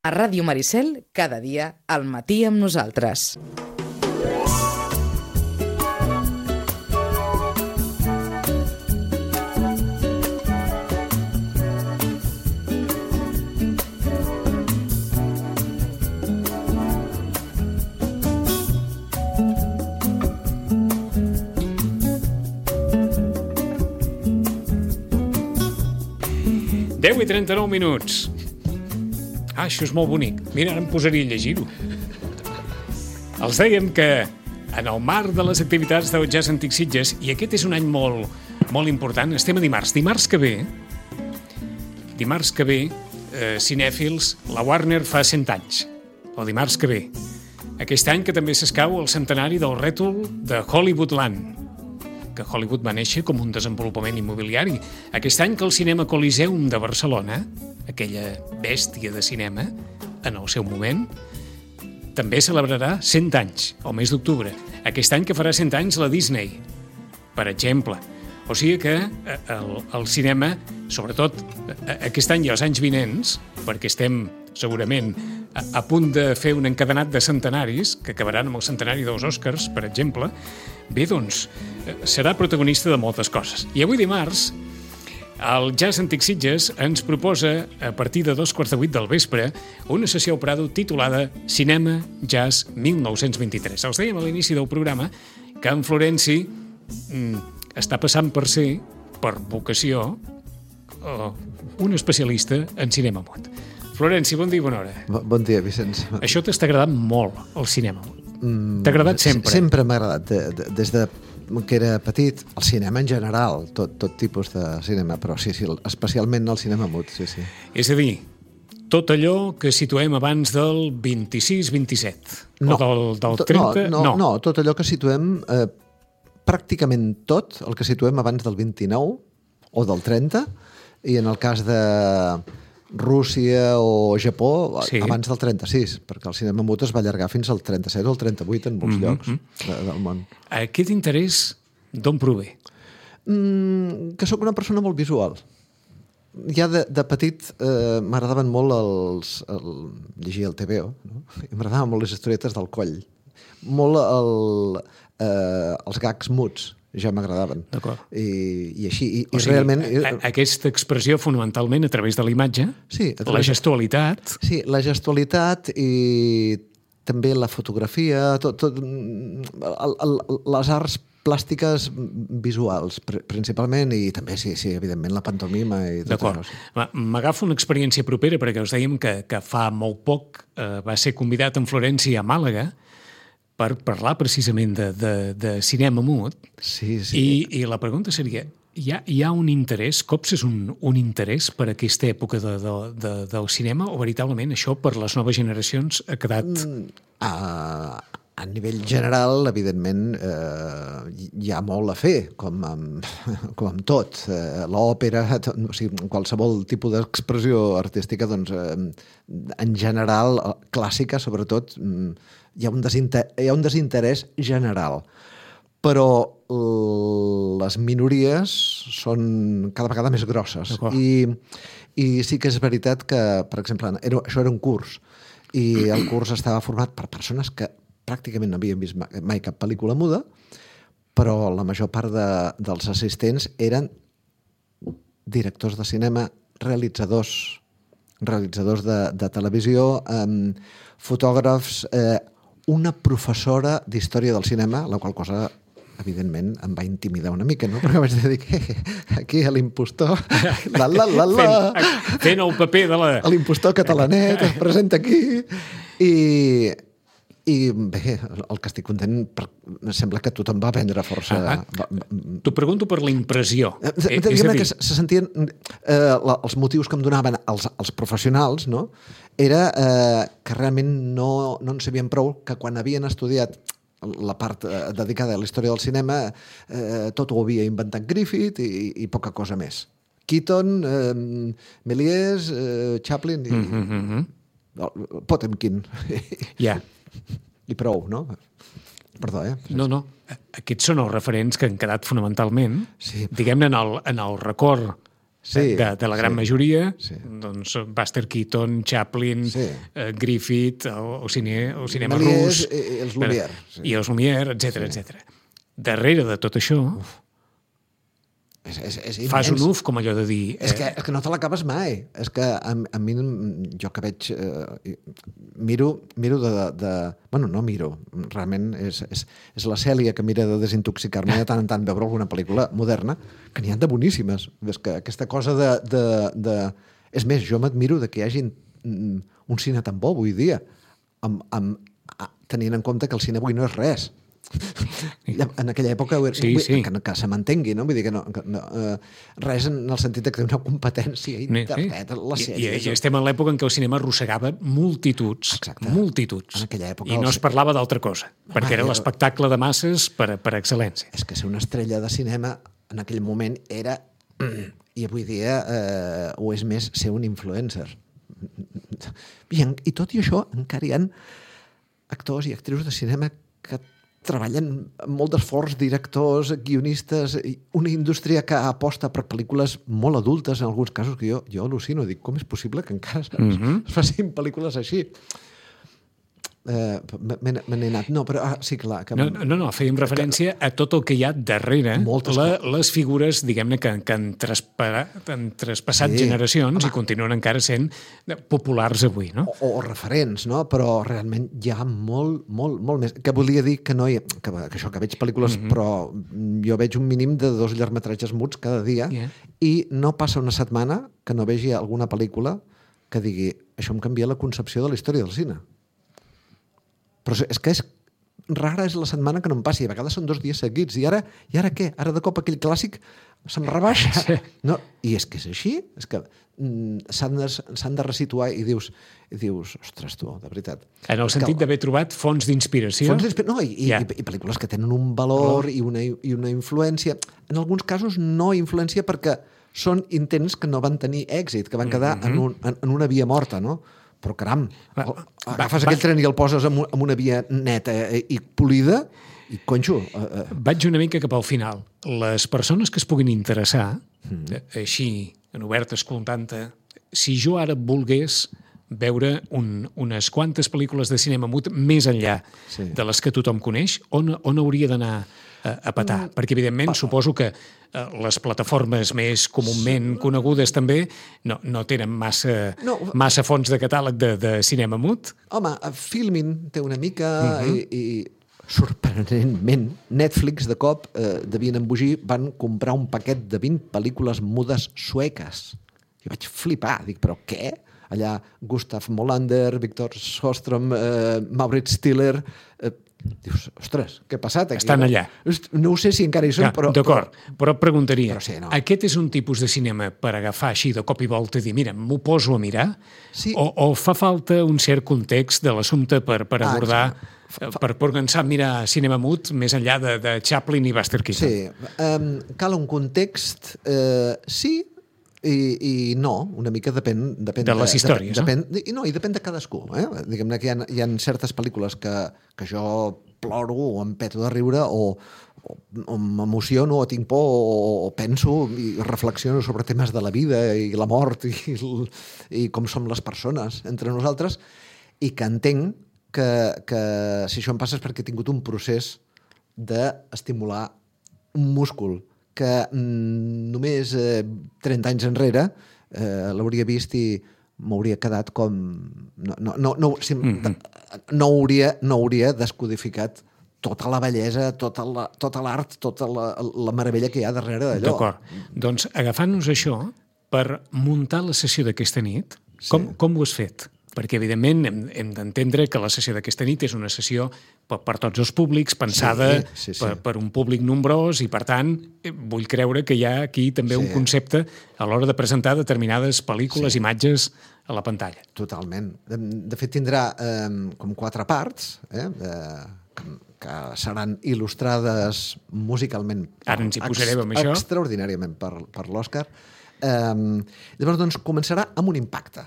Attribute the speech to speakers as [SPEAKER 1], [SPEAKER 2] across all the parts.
[SPEAKER 1] A Ràdio Maricel, cada dia, al matí amb nosaltres.
[SPEAKER 2] Deu i 39 minuts. Això és molt bonic. Mira, ara em posaria a llegir-ho. Els dèiem que en el marc de les activitats del Jazz Antic Sitges, i aquest és un any molt important, estem a dimarts. Dimarts que ve, cinèfils, la Warner fa 100 anys. O dimarts que ve. Aquest any que també s'escau el centenari del rètol de Hollywoodland, que Hollywood va néixer com un desenvolupament immobiliari. Aquest any que el Cinema Coliseum de Barcelona, aquella bèstia de cinema, en el seu moment, també celebrarà 100 anys, al mes d'octubre. Aquest any que farà 100 anys la Disney, per exemple. O sigui que el cinema, sobretot aquest any i els anys vinents, perquè estem segurament a punt de fer un encadenat de centenaris, que acabaran amb el centenari dels Oscars, per exemple, bé, doncs, serà protagonista de moltes coses. I avui dimarts, el Jazz Antic Sitges ens proposa, a partir de 7:15 del vespre, una sessió al Prado titulada Cinema Jazz 1923. Els dèiem a l'inici del programa que en Florenci està passant per ser, per vocació, un especialista en cinema mut. Florenci, bon dia i bona hora.
[SPEAKER 3] Bon dia, Vicenç.
[SPEAKER 2] Això t'està agradant molt, el cinema. T'ha agradat sempre?
[SPEAKER 3] Sempre m'ha agradat. Des de que era petit, el cinema en general, tot tipus de cinema, però sí, especialment el cinema mut, sí.
[SPEAKER 2] És a dir, tot allò que situem abans del 26-27?
[SPEAKER 3] No.
[SPEAKER 2] O del 30?
[SPEAKER 3] No, tot allò que situem, pràcticament tot, el que situem abans del 29 o del 30, i en el cas de Rússia o Japó, sí, abans del 36, perquè el cinema mut es va allargar fins al 37 o al 38 en molts llocs del món.
[SPEAKER 2] Aquest interès d'on prové?
[SPEAKER 3] Que sóc una persona molt visual. Ja de petit m'agradaven molt llegir el TVO, no? M'agradaven molt les historietes del Coll, molt els gags muts, ja m'agradaven.
[SPEAKER 2] D'acord.
[SPEAKER 3] I així, i
[SPEAKER 2] o sigui,
[SPEAKER 3] realment...
[SPEAKER 2] Aquesta expressió fonamentalment a través de la imatge,
[SPEAKER 3] sí,
[SPEAKER 2] la gestualitat...
[SPEAKER 3] Sí, la gestualitat i també la fotografia, les arts plàstiques visuals, principalment, i també, sí, evidentment, la pantomima i tot
[SPEAKER 2] això.
[SPEAKER 3] D'acord.
[SPEAKER 2] M'agafo una experiència propera, perquè us dèiem que fa molt poc va ser convidat en Florenci a Màlaga per parlar precisament de cinema mut.
[SPEAKER 3] Sí.
[SPEAKER 2] I la pregunta seria, hi ha un interès, copses un interès per aquesta època del cinema, o veritablement això per les noves generacions ha quedat...
[SPEAKER 3] A nivell general, evidentment, hi ha molt a fer, com amb tot. L'òpera, o sigui, qualsevol tipus d'expressió artística, doncs, en general, clàssica, sobretot, hi ha un desinterès general. Però les minories són cada vegada més grosses. I sí que és veritat que, per exemple, això era un curs, i el curs estava format per persones que pràcticament no havien vist mai cap pel·lícula muda, però la major part dels assistents eren directors de cinema, realitzadors de televisió, fotògrafs, una professora d'història del cinema, la qual cosa, evidentment, em va intimidar una mica, no? Perquè vaig dir, aquí l'impostor,
[SPEAKER 2] fent el paper de la...
[SPEAKER 3] L'impostor catalanet es presenta aquí, i bé, el que estic content, sembla que tothom va prendre força.
[SPEAKER 2] T'ho pregunto per la impressió.
[SPEAKER 3] Diguem que se sentien... Els motius que em donaven els professionals, no?, era que realment no en sabien prou, que quan havien estudiat la part dedicada a la història del cinema tot ho havia inventat Griffith i poca cosa més. Keaton, Méliès, Chaplin i Potemkin.
[SPEAKER 2] Ja.
[SPEAKER 3] I prou, no? Perdó,
[SPEAKER 2] No. Aquests són els referents que han quedat fonamentalment, diguem-ne, en el record de la gran majoria,
[SPEAKER 3] sí.
[SPEAKER 2] doncs Buster Keaton, Chaplin, Griffith, o cinema
[SPEAKER 3] Méliès
[SPEAKER 2] rus...
[SPEAKER 3] i els Lumière.
[SPEAKER 2] I els Lumière, etc. Darrere de tot això...
[SPEAKER 3] És
[SPEAKER 2] fas un uf, com allò de dir...
[SPEAKER 3] És que no te l'acabes mai. És que a mi, jo que veig... miro de... Bueno, no miro. Realment és la Cèlia que mira de desintoxicar-me de tant en tant veure alguna pel·lícula moderna, que n'hi ha de boníssimes. És que aquesta cosa de... És més, jo m'admiro de que hi hagi un cine tan bo avui dia, tenint en compte que el cine avui no és res. En aquella època que se m'entengui, no? Vull dir que res en el sentit que té una competència internet, les sèries...
[SPEAKER 2] I estem en l'època en què el cinema arrossegava multituds,
[SPEAKER 3] en aquella època,
[SPEAKER 2] i no es parlava d'altra cosa, perquè era l'espectacle de masses per excel·lència.
[SPEAKER 3] És que ser una estrella de cinema en aquell moment era, i avui dia ho és més, ser un influencer. I tot i això encara hi ha actors i actrius de cinema que treballen amb molt d'esforç, directors, guionistes, una indústria que aposta per pel·lícules molt adultes, en alguns casos, que jo al·lucino. Dic, com és possible que encara es facin pel·lícules així? Me n'he anat. No, però sí, clar. Que...
[SPEAKER 2] No, fèiem referència a tot el que hi ha darrere, les figures, diguem-ne, que han traspassat generacions i continuen encara sent populars avui, no?
[SPEAKER 3] O referents, no? Però realment hi ha molt més. Que volia dir que no hi ha... Que això, que veig pel·lícules, però jo veig un mínim de 2 llargmetratges muts cada dia i no passa una setmana que no vegi alguna pel·lícula que digui això em canvia la concepció de la història del cine. Però és que rara és la setmana que no em passi. A vegades són 2 dies seguits. I ara què? Ara de cop aquell clàssic se'm rebaixa. Sí. No, i és que és així. És que s'han de resituar i dius, ostres, tu, de veritat.
[SPEAKER 2] En el sentit d'haver trobat fonts d'inspiració.
[SPEAKER 3] I pel·lícules que tenen un valor i una influència. En alguns casos no influència perquè són intents que no van tenir èxit, que van quedar en una via morta, no? Però caram, agafes aquell tren i el poses en una via neta i polida i, conxo...
[SPEAKER 2] Vaig una mica cap al final. Les persones que es puguin interessar, així, en obert escoltant-te, si jo ara volgués veure unes quantes pel·lícules de cinema mut més enllà de les que tothom coneix, on hauria d'anar a petar? Perquè, evidentment, suposo que les plataformes més comúment conegudes també no tenen massa fons de catàleg de cinema mut.
[SPEAKER 3] Home, Filmin té una mica i sorprenentment Netflix de cop devien embogir, van comprar un paquet de 20 pel·lícules mudes sueques. Jo vaig flipar, dic, però què? Allà Gustav Molander, Victor Sjöström, Maurits Stiller... Dius, ostres, què ha passat aquí?
[SPEAKER 2] Estan allà.
[SPEAKER 3] No ho sé si encara hi són, però...
[SPEAKER 2] D'acord, però et preguntaria,
[SPEAKER 3] no.
[SPEAKER 2] Aquest és un tipus de cinema per agafar així de cop i volta i dir, mira, m'ho poso a mirar? Sí. O fa falta un cert context de l'assumpte per abordar, per començar a mirar cinema mut més enllà de Chaplin i Buster Keaton?
[SPEAKER 3] Sí, cal un context, sí, i no, una mica depèn
[SPEAKER 2] de les històries,
[SPEAKER 3] no? I depèn de cadascú. Diguem-ne que hi ha certes pel·lícules que jo ploro o em peto de riure o m'emociono o tinc por o penso i reflexiono sobre temes de la vida i la mort i com som les persones entre nosaltres, i que entenc que si això em passa és perquè he tingut un procés d'estimular un múscul que només 30 anys enrere l'hauria vist i m'hauria quedat com... No hauria descodificat tota la bellesa, tota l'art, tota la meravella que hi ha darrere d'allò.
[SPEAKER 2] D'acord. Doncs agafant-nos això, per muntar la sessió d'aquesta nit, com ho has fet? Perquè, evidentment, hem d'entendre que la sessió d'aquesta nit és una sessió per tots els públics, pensada per un públic nombrós, i, per tant, vull creure que hi ha aquí també un concepte a l'hora de presentar determinades pel·lícules, imatges a la pantalla.
[SPEAKER 3] Totalment. De fet, tindrà com 4 parts, que seran il·lustrades musicalment.
[SPEAKER 2] Ara ens hi posarem amb això.
[SPEAKER 3] Extraordinàriament per l'Òscar. Llavors, doncs, començarà amb un impacte.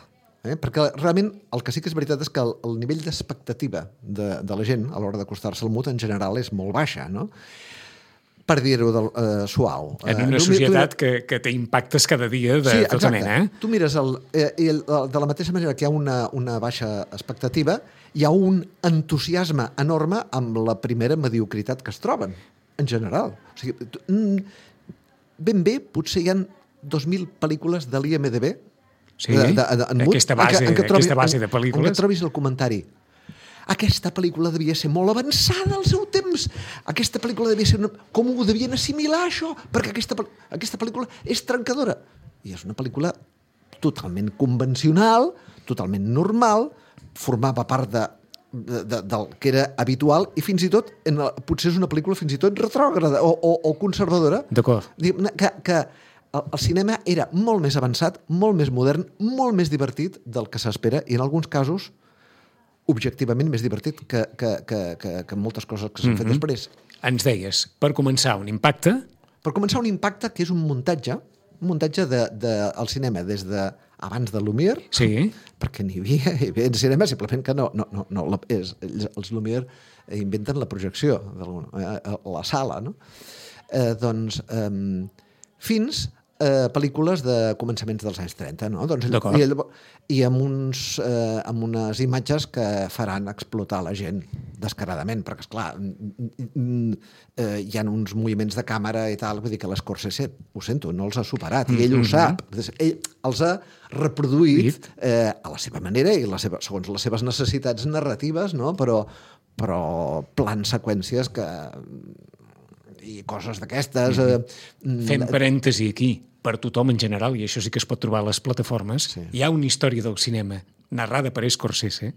[SPEAKER 3] Perquè realment el que sí que és veritat és que el nivell d'expectativa de la gent a l'hora d'acostar-se al mut en general és molt baixa, no? per dir-ho suau.
[SPEAKER 2] En una societat que té impactes cada dia de tota mena.
[SPEAKER 3] Tu mires de la mateixa manera que hi ha una baixa expectativa, hi ha un entusiasme enorme amb la primera mediocritat que es troben, en general. O sigui, ben bé, potser hi ha 2.000 pel·lícules de l'IMDB.
[SPEAKER 2] Sí, aquesta base de pel·lícules.
[SPEAKER 3] En què trobis el comentari. Aquesta pel·lícula devia ser molt avançada al seu temps. Aquesta pel·lícula devia ser... Com ho devien assimilar, això? Perquè aquesta pel·lícula és trencadora. I és una pel·lícula totalment convencional, totalment normal, formava part del que era habitual i fins i tot, potser és una pel·lícula fins i tot retrògrada o conservadora.
[SPEAKER 2] D'acord.
[SPEAKER 3] Que el cinema era molt més avançat, molt més modern, molt més divertit del que s'espera i en alguns casos objectivament més divertit que moltes coses que s'han fet després.
[SPEAKER 2] Ens deies, per començar, un impacte?
[SPEAKER 3] Per començar, un impacte que és un muntatge del cinema des d'abans de Lumière,
[SPEAKER 2] sí.
[SPEAKER 3] Perquè n'hi havia en cinema, simplement que els Lumière inventen la projecció, la sala, no? Fins pel·lícules de començaments dels anys 30, no? I amb unes imatges que faran explotar la gent descaradament, perquè, esclar, hi ha uns moviments de càmera i tal, vull dir que l'Scorsese, ho sento, no els ha superat, i ell ho sap. Ell els ha reproduït a la seva manera i segons les seves necessitats narratives, no? Però plans, seqüències i coses d'aquestes...
[SPEAKER 2] Fem parèntesi aquí. Per tothom en general, i això sí que es pot trobar a les plataformes, hi ha una història del cinema narrada per Scorsese,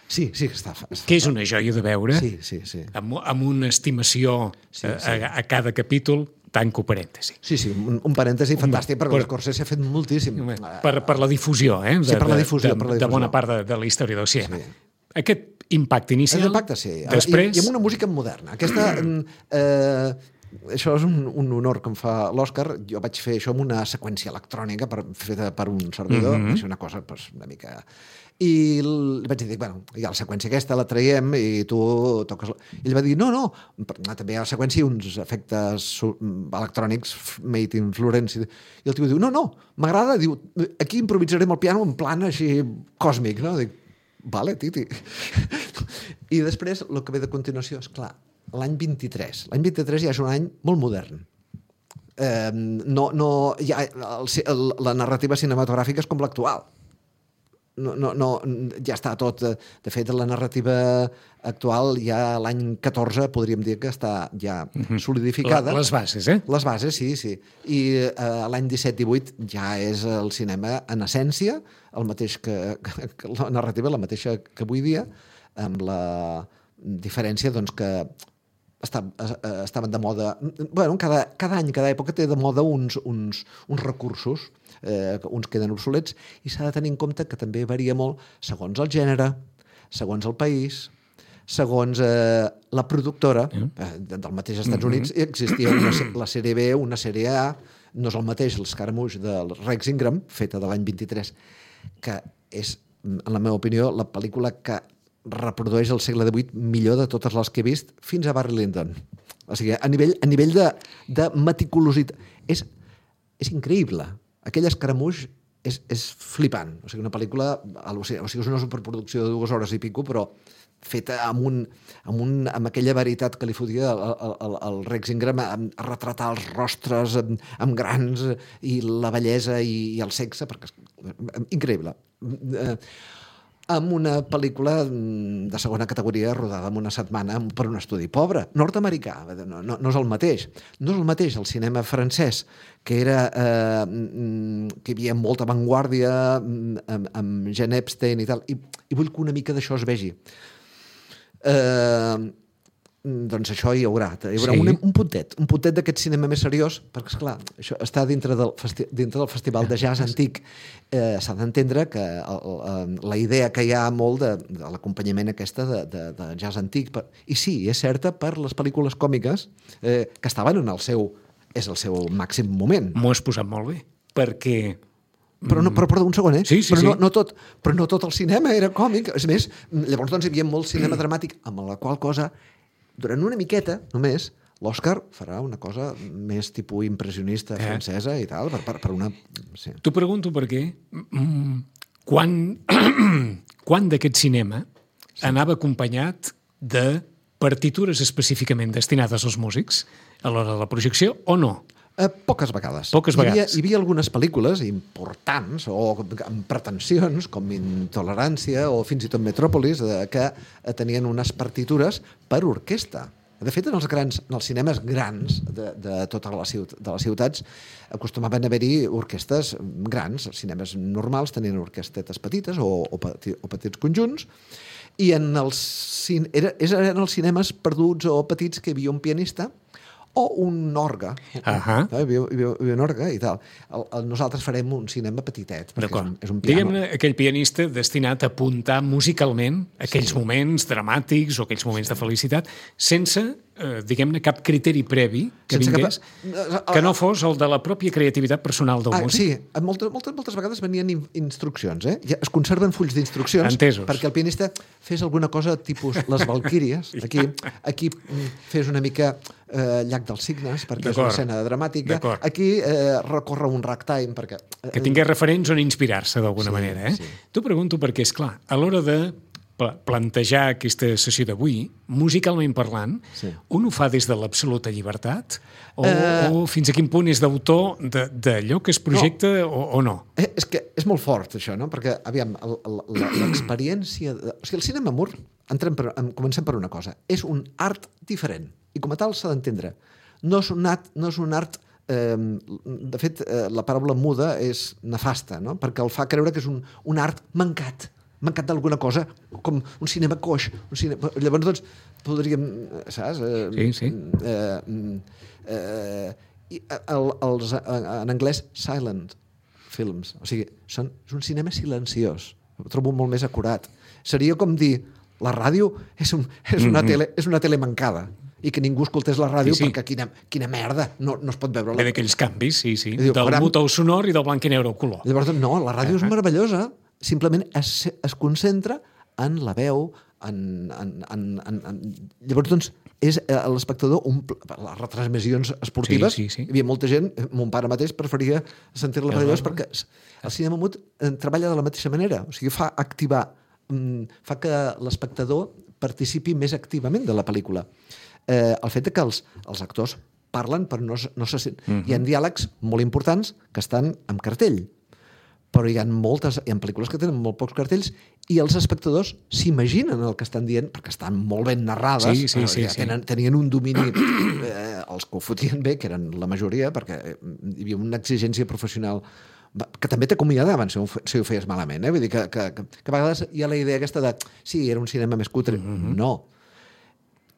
[SPEAKER 3] sí, està
[SPEAKER 2] que és una joia de veure,
[SPEAKER 3] sí.
[SPEAKER 2] Amb una estimació a cada capítol, tanco parèntesi.
[SPEAKER 3] Sí, un parèntesi fantàstic, perquè l'Scorsese ha fet moltíssim.
[SPEAKER 2] Per la difusió,
[SPEAKER 3] per la difusió.
[SPEAKER 2] De bona part de la història del cinema. Aquest impacte inicial,
[SPEAKER 3] després... I amb una música moderna. Aquesta... Això és un honor que em fa l'Òscar. Jo vaig fer això amb una seqüència electrònica feta per un servidor, va ser una cosa una mica... I vaig dir, bueno, hi ha la seqüència aquesta, la traiem i tu toques... Ell va dir, no, també hi ha la seqüència i uns efectes electrònics made in Florence. I el tio diu, no, m'agrada, diu, aquí improvisarem el piano en plan així còsmic, no? Dic, vale, Titi. I després, el que ve de continuació, és clar, l'any 23. L'any 23 ja és un any molt modern. La narrativa cinematogràfica és com l'actual. Ja està tot... De fet, la narrativa actual ja l'any 14 podríem dir que està ja solidificada.
[SPEAKER 2] Les bases,
[SPEAKER 3] Les bases, sí. I l'any 17-18 ja és el cinema en essència, el mateix que la narrativa, la mateixa que avui dia, amb la diferència doncs, que estaven de moda... Bueno, cada any, cada època té de moda uns recursos, uns queden obsolets, i s'ha de tenir en compte que també varia molt segons el gènere, segons el país, segons la productora. Del mateix Estats Units existia la sèrie B, una sèrie A, no és el mateix l'Escaramouche del Rex Ingram, feta de l'any 23, que és, en la meva opinió, la pel·lícula que reprodueix el segle XVIII millor de totes les que he vist fins a Barry Lyndon. O sigui, a nivell de meticulositat. És increïble. Aquell Escaramouche és flipant. O sigui, una pel·lícula... O sigui, és una superproducció de 2 hores i pico, però feta amb aquella veritat que li fotia el Rex Ingram, a retratar els rostres amb grans i la bellesa i el sexe, perquè és increïble. Amb una pel·lícula de segona categoria rodada en una setmana per un estudi pobre, nord-americà, no és el mateix. No és el mateix el cinema francès, que hi havia molta avantguàrdia amb Jean Epstein i tal, i vull que una mica d'això es vegi. Doncs això hi haurà un puntet d'aquest cinema més seriós, perquè, esclar, això està dintre del Festival de Jazz Antic. S'ha d'entendre que la idea que hi ha molt de l'acompanyament aquesta de jazz antic, i sí, és certa per les pel·lícules còmiques que estaven en el seu màxim moment.
[SPEAKER 2] M'ho has posat molt bé, perquè...
[SPEAKER 3] Però un segon,
[SPEAKER 2] Sí.
[SPEAKER 3] No tot el cinema era còmic. És més, llavors doncs, hi havia molt cinema dramàtic, amb la qual cosa, durant una miqueta, només, L'Òscar farà una cosa més tipus impressionista francesa i tal, per una... Sí.
[SPEAKER 2] T'ho pregunto perquè quan d'aquest cinema anava acompanyat de partitures específicament destinades als músics a l'hora de la projecció o no?
[SPEAKER 3] Poques vegades.
[SPEAKER 2] Poques vegades.
[SPEAKER 3] Hi havia algunes pel·lícules importants o amb pretensions, com Intolerància o fins i tot Metròpolis, que tenien unes partitures per orquestra. De fet, en els cinemes grans de totes les ciutats acostumaven a haver-hi orquestes grans. Els cinemes normals tenien orquestetes petites o petits conjunts, i eren els cinemes perduts o petits que hi havia un pianista o un orgue. Hi havia un orgue i tal. Nosaltres farem un cinema petitet, perquè és un piano.
[SPEAKER 2] Diguem-ne, aquell pianista destinat a apuntar musicalment aquells moments dramàtics o aquells moments de felicitat, sense, diguem-ne, cap criteri previ que vingués, que no fos el de la pròpia creativitat personal del músic.
[SPEAKER 3] Sí, moltes vegades venien instruccions, ja es conserven fulls d'instruccions.
[SPEAKER 2] Entesos.
[SPEAKER 3] Perquè el pianista fes alguna cosa tipus les Valquíries. Aquí fes una mica Llac dels Cignes, perquè és una escena dramàtica. Aquí recorre un ragtime, perquè...
[SPEAKER 2] Que tingués referents on inspirar-se d'alguna manera.
[SPEAKER 3] Sí.
[SPEAKER 2] T'ho pregunto perquè, és clar, a l'hora de plantejar aquesta sessió d'avui, musicalment parlant, un ho fa des de l'absoluta llibertat o fins a quin punt és d'autor d'allò que es projecta o no?
[SPEAKER 3] És que és molt fort, això, no? Perquè, aviam, l'experiència... O sigui, el cinema mur, comencem per una cosa, és un art diferent, i com a tal s'ha d'entendre. No és un art... De fet, la paraula muda és nefasta, no? Perquè el fa creure que és un art mancat d'alguna cosa, com un cinema coix. Llavors, doncs, podríem... Saps?
[SPEAKER 2] Sí.
[SPEAKER 3] En anglès, silent films. O sigui, és un cinema silenciós. Ho trobo molt més acurat. Seria com dir, la ràdio és una tele mancada i que ningú escoltés la ràdio perquè quina merda, no es pot veure.
[SPEAKER 2] Ve d'aquells canvis, sí. Del mut al sonor i del blanc i negre al color.
[SPEAKER 3] Llavors, no, la ràdio és meravellosa. Simplement es concentra en la veu, llavors, doncs, és l'espectador, les retransmissions esportives, hi havia molta gent, mon pare mateix preferia sentir-la meravellosa perquè el cinema mut treballa de la mateixa manera, o sigui, fa que l'espectador participi més activament de la pel·lícula. El fet que els actors parlen però no se sent. Hi ha diàlegs molt importants que estan en cartell, però hi ha pel·lícules que tenen molt pocs cartells i els espectadors s'imaginen el que estan dient perquè estan molt ben narrades. Tenien un domini, els que ho fotien bé, que eren la majoria, perquè hi havia una exigència professional que també t'acomiadaven si ho feies malament. Vull dir que a vegades hi ha la idea aquesta de sí, era un cinema més cutre. No.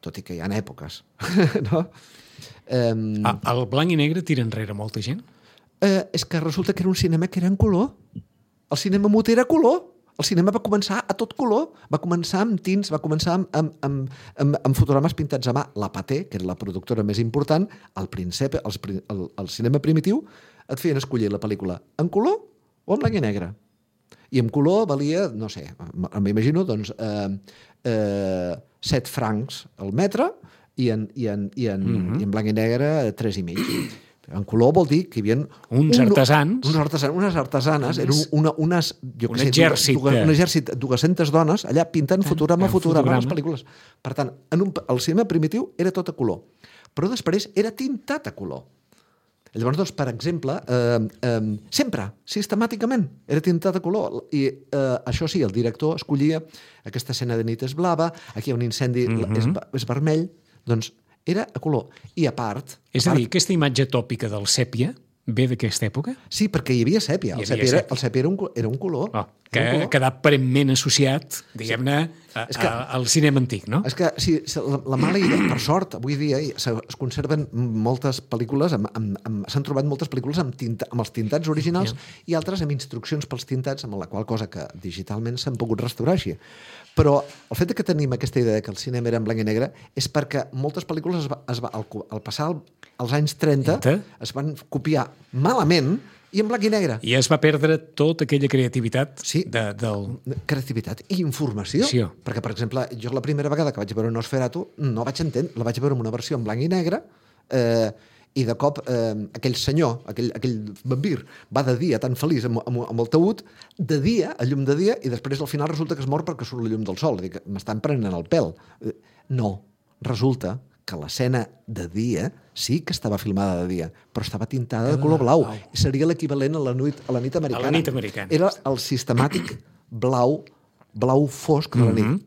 [SPEAKER 3] Tot i que hi ha èpoques. No?
[SPEAKER 2] El blanc i negre tira enrere molta gent?
[SPEAKER 3] És que resulta que era un cinema que era en color. El cinema mut era color. El cinema va començar a tot color. Va començar amb tints, va començar amb fotogrames pintats a mà. La Pathé, que era la productora més important, el cinema primitiu, et feien escollir la pel·lícula en color o en blanc i negre. I en color valia, no sé, m'imagino, doncs, 7 francs al metre i en blanc i negre 3,5. En color vol dir que hi havia
[SPEAKER 2] unes artesanes,
[SPEAKER 3] un exèrcit, 200 dones allà pintant fotograma les pel·lícules. Per tant, el cinema primitiu era tot a color, però després era tintat a color. Llavors, doncs, per exemple, sempre, sistemàticament, era tintat a color. I això sí, el director escollia aquesta escena de nit és blava, aquí hi ha un incendi, és vermell, doncs era a color. I a part...
[SPEAKER 2] És a dir, aquesta imatge tòpica del sèpia ve d'aquesta època?
[SPEAKER 3] Sí, perquè hi havia sèpia. El sèpia era un color.
[SPEAKER 2] Que ha quedat aparentment associat, diguem-ne, al cinema antic, no?
[SPEAKER 3] És que la mala idea, per sort, avui dia es conserven moltes pel·lícules, s'han trobat moltes pel·lícules amb els tintats originals i altres amb instruccions pels tintats, amb la qual cosa que digitalment s'han pogut restaurar així. Però el fet que tenim aquesta idea que el cinema era en blanc i negre és perquè moltes pel·lícules al passar als anys 30 es van copiar malament I en blanc i negre.
[SPEAKER 2] I es va perdre tota aquella creativitat
[SPEAKER 3] Sí.
[SPEAKER 2] del...
[SPEAKER 3] Creativitat i informació.
[SPEAKER 2] Sí.
[SPEAKER 3] Perquè, per exemple, jo la primera vegada que vaig veure Nosferatu no vaig entendre, la vaig veure en una versió en blanc i negre, i de cop aquell senyor, aquell vampir, va de dia tan feliç amb el taüt, de dia, a llum de dia, i després al final resulta que es mor perquè surt la llum del sol. Dic, m'estan prenent el pèl. No, resulta que l'escena de dia sí que estava filmada de dia, però estava tintada de color blau. Seria l'equivalent a la nit americana.
[SPEAKER 2] A la nit americana.
[SPEAKER 3] Era el sistemàtic blau fosc de la nit.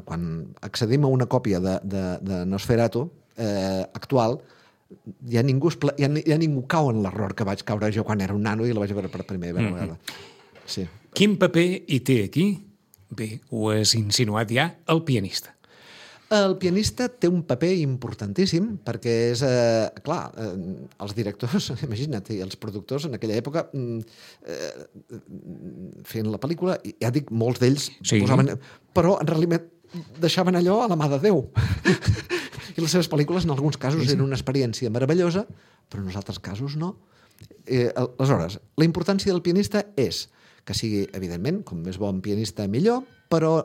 [SPEAKER 3] Quan accedim a una còpia de Nosferatu actual, ja ningú cau en l'error que vaig caure jo quan era un nano i la vaig veure per primera vegada. Sí.
[SPEAKER 2] Quin paper hi té aquí? Bé, ho has insinuat ja, el pianista.
[SPEAKER 3] El pianista té un paper importantíssim perquè és, clar, els directors, imagina't, i els productors en aquella època fent la pel·lícula, ja dic, molts d'ells posaven... Però en realitat deixaven allò a la mà de Déu. I les seves pel·lícules en alguns casos eren una experiència meravellosa, però en els altres casos no. Aleshores, la importància del pianista és que sigui, evidentment, com més bon pianista millor, però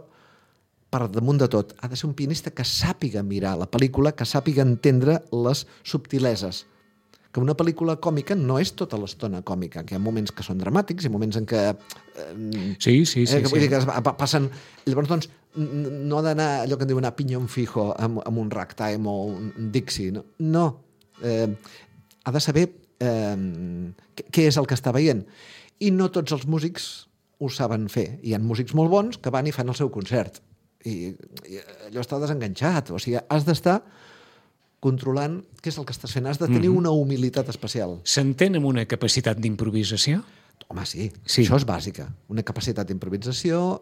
[SPEAKER 3] per damunt de tot, ha de ser un pianista que sàpiga mirar la pel·lícula, que sàpiga entendre les subtileses. Que una pel·lícula còmica no és tota l'estona còmica, que hi ha moments que són dramàtics i moments en què...
[SPEAKER 2] Sí.
[SPEAKER 3] Vull dir que passen... Llavors, doncs, no ha d'anar allò que en diuen a piñón fijo amb un ragtime o un Dixie. No. Ha de saber què és el que està veient. I no tots els músics ho saben fer. Hi ha músics molt bons que van i fan el seu concert. I allò està desenganxat. O sigui, has d'estar controlant què és el que estàs fent. Has de tenir una humilitat especial.
[SPEAKER 2] S'entén amb una capacitat d'improvisació?
[SPEAKER 3] Home, sí. Això és bàsica. Una capacitat d'improvisació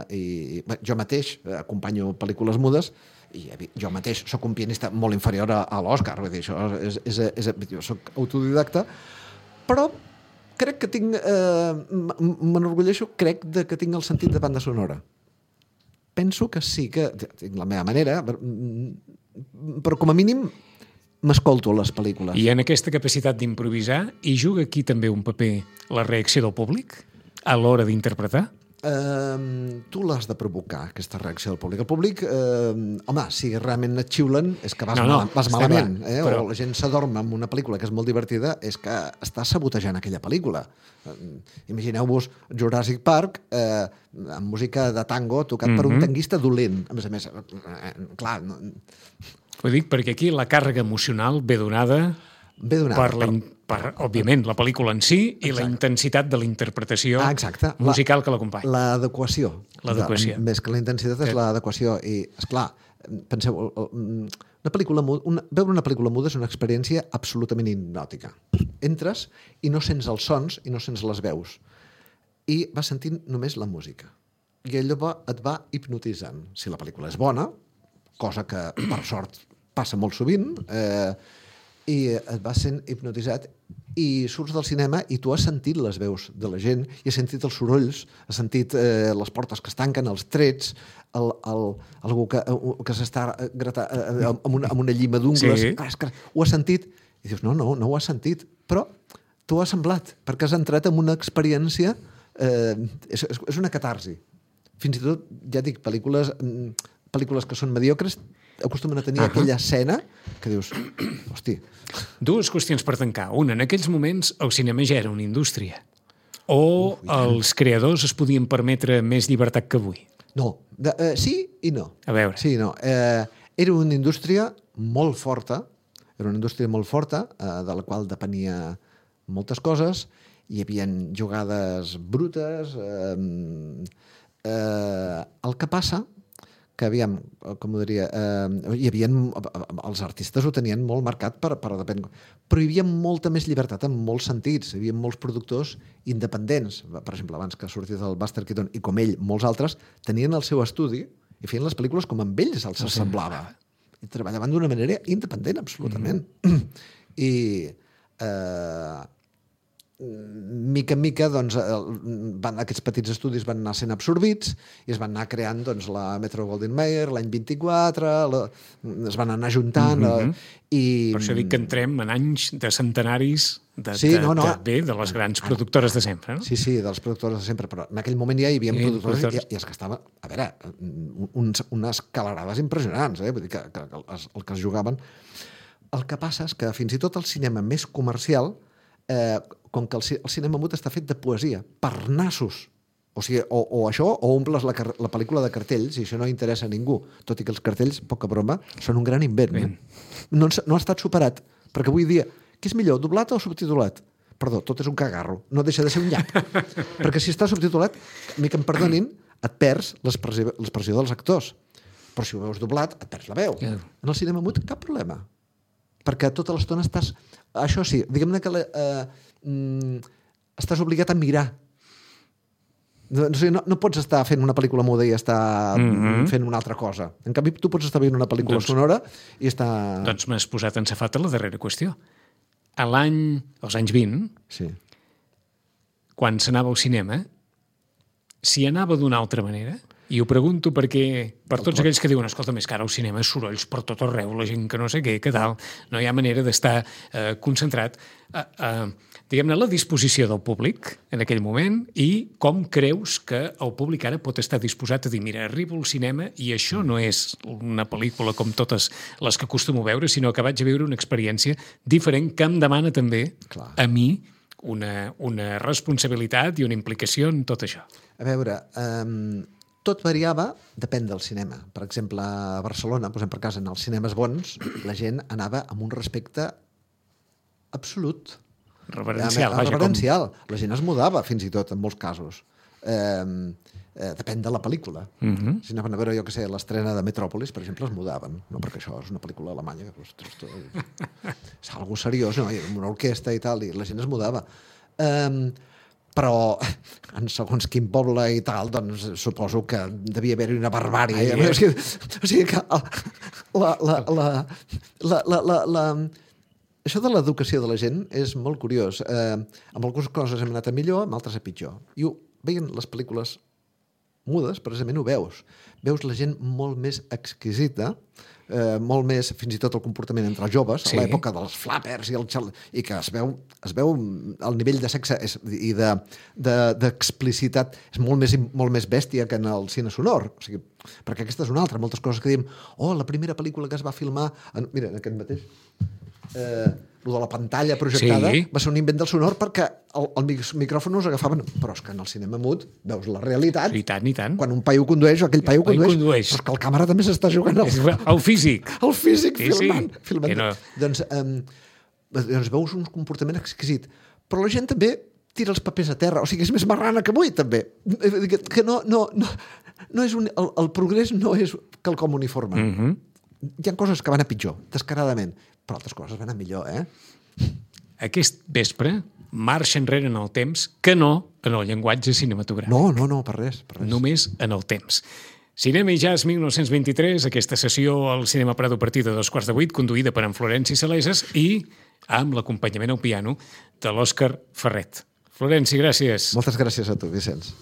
[SPEAKER 3] i jo mateix acompanyo pel·lícules mudes i jo mateix sóc un pianista molt inferior a l'Òscar. Vull dir, jo soc autodidacta, però crec que tinc... m'enorgulleixo, crec que tinc el sentit de banda sonora. Penso que sí, que tinc la meva manera, però com a mínim m'escolto a les pel·lícules.
[SPEAKER 2] I en aquesta capacitat d'improvisar hi juga aquí també un paper la reacció del públic a l'hora d'interpretar?
[SPEAKER 3] Tu l'has de provocar, aquesta reacció del públic. El públic, home, si realment et xiulen és que vas malament. Però... O la gent s'adorm amb una pel·lícula que és molt divertida, és que està sabotejant aquella pel·lícula. Imagineu-vos Jurassic Park amb música de tango tocat per un tanguista dolent. A més, clar...
[SPEAKER 2] Ho dic perquè aquí la càrrega emocional ve donada per, òbviament, la pel·lícula en si i la intensitat de la interpretació musical que l'acompanya.
[SPEAKER 3] L'adequació. Més que la intensitat és l'adequació. I, esclar, penseu, veure una pel·lícula muda és una experiència absolutament hipnòtica. Entres i no sents els sons i no sents les veus. I vas sentint només la música. I allò et va hipnotitzant. Si la pel·lícula és bona, cosa que, per sort, passa molt sovint, i et vas sent hipnotitzat i surts del cinema i tu has sentit les veus de la gent i has sentit els sorolls, has sentit les portes que es tanquen, els trets, algú que s'està gratant amb una llima d'ungles. Sí. Ho has sentit i dius, no ho has sentit, però t'ho ha semblat perquè has entrat en una experiència, és una catarsi. Fins i tot, ja dic, pel·lícules que són mediocres acostumen a tenir aquella escena que dius, hosti...
[SPEAKER 2] Dues qüestions per tancar. Una, en aquells moments el cinema ja era una indústria. O els creadors es podien permetre més llibertat que avui?
[SPEAKER 3] No. Sí i no.
[SPEAKER 2] A veure.
[SPEAKER 3] Sí i no. Era una indústria molt forta, de la qual depenia moltes coses. Hi havia jugades brutes. El que passa que aviam, com ho diria, els artistes ho tenien molt marcat però hi havia molta més llibertat en molts sentits, hi havia molts productors independents, per exemple, abans que sortís el Buster Keaton i com ell, molts altres, tenien el seu estudi i feien les pel·lícules com amb ells els semblava. I treballaven d'una manera independent, absolutament. I mica en mica, doncs, aquests petits estudis van anar sent absorbits i es van anar creant, doncs, la Metro-Goldwyn-Mayer, l'any 24, es van anar juntant... I...
[SPEAKER 2] Per això dic que entrem en anys de centenaris de les grans productores de sempre, no?
[SPEAKER 3] Sí, de les productores de sempre, però en aquell moment ja hi havia productores i es gastava, a veure, unes calarades impressionants, vull dir que el que es jugaven... El que passa és que fins i tot el cinema més comercial, com que el cinema mut està fet de poesia, per nassos. O sigui, o això, o omples la pel·lícula de cartells, i això no interessa a ningú, tot i que els cartells, poca broma, són un gran invent. No ha estat superat, perquè avui dia, què és millor, doblat o subtitulat? Perdó, tot és un cagarro, no deixa de ser un nyap. Perquè si està subtitulat, mica em perdonin, et perds l'expressió dels actors. Però si ho veus doblat, et perds la veu. En el cinema mut, cap problema. Perquè tota l'estona estàs... Això sí, diguem-ne que estàs obligat a mirar. No pots estar fent una pel·lícula muda i estar fent una altra cosa. En canvi, tu pots estar veient una pel·lícula sonora i estar...
[SPEAKER 2] Doncs m'has posat en safata la darrera qüestió. Als anys 20, quan s'anava al cinema, si anava d'una altra manera... I ho pregunto perquè, per tots aquells que diuen escolta, més que ara al cinema, sorolls per tot arreu, la gent que no sé què, que tal, no hi ha manera d'estar concentrat diguem-ne, la disposició del públic en aquell moment i com creus que el públic ara pot estar disposat a dir, mira, arribo al cinema i això no és una pel·lícula com totes les que acostumo a veure, sinó que vaig a viure una experiència diferent que em demana també a mi una responsabilitat i una implicació en tot això.
[SPEAKER 3] A veure... Tot variava, depèn del cinema. Per exemple, a Barcelona, posem per casa, en els cinemes bons, la gent anava amb un respecte absolut.
[SPEAKER 2] Reverencial.
[SPEAKER 3] Reverencial. La gent es mudava, fins i tot, en molts casos. Depèn de la pel·lícula. Si anaven a veure, jo què sé, l'estrena de Metròpolis, per exemple, es mudaven. No perquè això és una pel·lícula alemanya. És algo seriós, no? Hi ha una orquestra i tal, i la gent es mudava. Però en segons quin poble i tal, doncs suposo que devia haver-hi una barbària. O sigui que això de l'educació de la gent és molt curiós. Amb algunes coses hem anat a millor, amb altres a pitjor. I veient les pel·lícules mudes, precisament ho veus. Veus la gent molt més exquisita, molt més, fins i tot el comportament entre els joves, a l'època dels flappers i que es veu el nivell de sexe i d'explicitat és molt més bèstia que en el cine sonor. O sigui, perquè aquesta és una altra. Moltes coses que diem, la primera pel·lícula que es va filmar... Mira, en aquest mateix... lo de la pantalla projectada va ser un invent del sonor perquè els micròfons agafaven... Però és que en el cinema mut veus la realitat.
[SPEAKER 2] I tant.
[SPEAKER 3] Quan un paio condueix, aquell paio condueix. Però és que el càmera també s'està jugant
[SPEAKER 2] el físic.
[SPEAKER 3] El físic filmant.
[SPEAKER 2] No.
[SPEAKER 3] Doncs veus un comportament exquisit. Però la gent també tira els papers a terra. O sigui, és més marrana que avui, també. Que no és el progrés no és quelcom uniforme. Hi ha coses que van a pitjor, descaradament, però altres coses van a millor,
[SPEAKER 2] Aquest vespre marxa enrere en el temps, que no en el llenguatge cinematogràfic.
[SPEAKER 3] No, per res.
[SPEAKER 2] Només en el temps. Cinema i Jazz 1923, aquesta sessió al Cinema Prado a partir de 7:15, conduïda per en Florenci Saleses i amb l'acompanyament al piano de l'Òscar Ferret. Florenci, gràcies.
[SPEAKER 3] Moltes gràcies a tu, Vicenç.